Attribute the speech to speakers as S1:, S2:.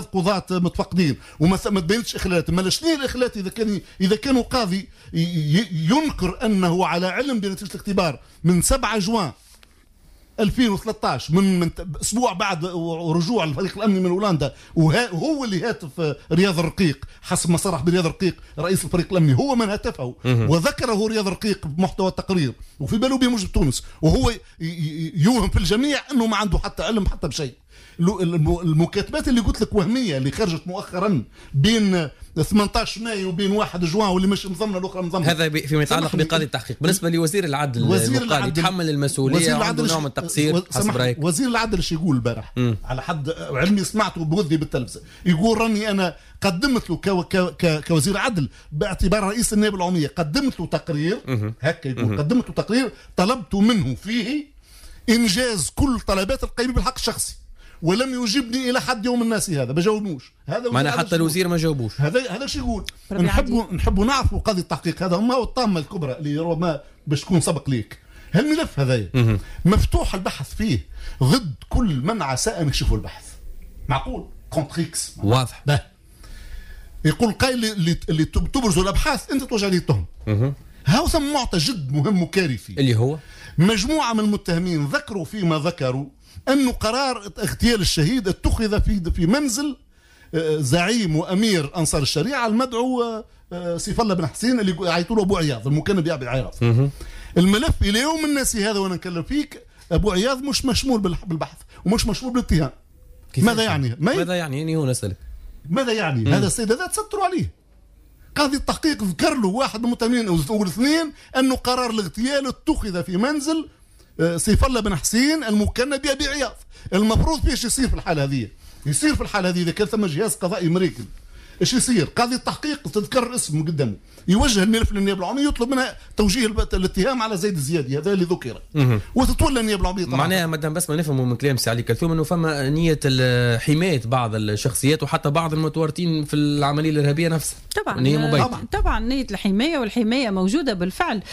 S1: 3 قضاة متفقدين وما تبينش اخلالات. ما شنو الاخلالات اذا كانوا قاضي ينكر انه على علم بنتيجة الاختبار من 7 جوان 2013، من اسبوع بعد رجوع الفريق الامني من هولندا، وهو اللي هاتف رياض الرقيق، حسب ما صرح برياض الرقيق رئيس الفريق الامني، هو من هاتفه وذكره رياض الرقيق بمحتوى التقرير، وفي باله به موجود تونس، وهو يوهم في الجميع انه ما عنده حتى علم حتى بشيء. المكاتبات اللي قلت لك وهميه، اللي خرجت مؤخرا بين 18 ماي وبين 1 جوان، واللي مش مضمنه، الاخرى مضمنه.
S2: هذا فيما يتعلق بقاضي التحقيق. بالنسبة لوزير العدل، وزير العدل يتحمل المسؤوليه، عنده نوع من التقصير حسب رايك؟
S1: وزير العدل ايش يقول البارح؟ على حد علمي سمعته بوذني بالتلفزه، يقول راني انا قدمت له كوزير عدل باعتبار رئيس النيابة العموميه، قدمت له تقرير، هكا يقول، قدمت له تقرير طلبت منه فيه انجاز كل طلبات القيم بالحق الشخصي، ولم يجبني الى حد يوم الناس هذا، ما جاوبوش.
S2: هذا معناها حتى الوزير ما جاوبوش.
S1: هذا شو يقول. نحبوا نعرفوا قضية التحقيق هذا ما هو الطامة الكبرى اللي ربما باش تكون سبق ليك. هالملف هذا مفتوح البحث فيه ضد كل من عسى ان يكشفوا البحث، معقول contre X.
S2: واضح.
S1: به يقول قائل اللي تبرزوا الابحاث انت توجه عليه التهم. هاو ثم معطى جد مهم وكارثي.
S2: اللي هو؟
S1: مجموعة من المتهمين ذكروا فيما ذكروا أن قرار اغتيال الشهيد اتخذ في منزل زعيم وامير انصار الشريعة المدعو سيف الله بن حسين، اللي يعيطوا له ابو عياض، المكنى بابي عياض. الملف الى يوم الناس هذا وانا نكلم فيك، ابو عياض مش مشمول بالبحث ومش مشمول بالاتهام. ماذا يعني؟
S2: ماذا يعني؟ يعني هو نسألك.
S1: ماذا يعني؟ هذا السيد هذا تستروا عليه. قاضي التحقيق ذكر له واحد من المتهمين او الاثنين انه قرار الاغتيال اتخذ في منزل سيف الله بن حسين المكنى بأبي عياض. المفروض فيش يصير في الحالة هذه؟ يصير في الحالة هذه، اذا كان ثم جهاز قضائي مريكل، ايش يصير؟ قاضي التحقيق تذكر اسمه قدامه، يوجه الملف للنيابه العموميه، يطلب منها توجيه الاتهام على زيد الزيادي هذا اللي ذكر، وتتولى النيابة العمومية
S2: طبعا. معناها مدام بس ما نفهموا من كلام سي علي كلثوم انه فما نيه حماية بعض الشخصيات وحتى بعض المتورطين في العملية الارهابية نفسها.
S3: طبعا.
S2: نيه مبيتة.
S3: طبعا، نيه الحمايه، والحماية موجودة بالفعل.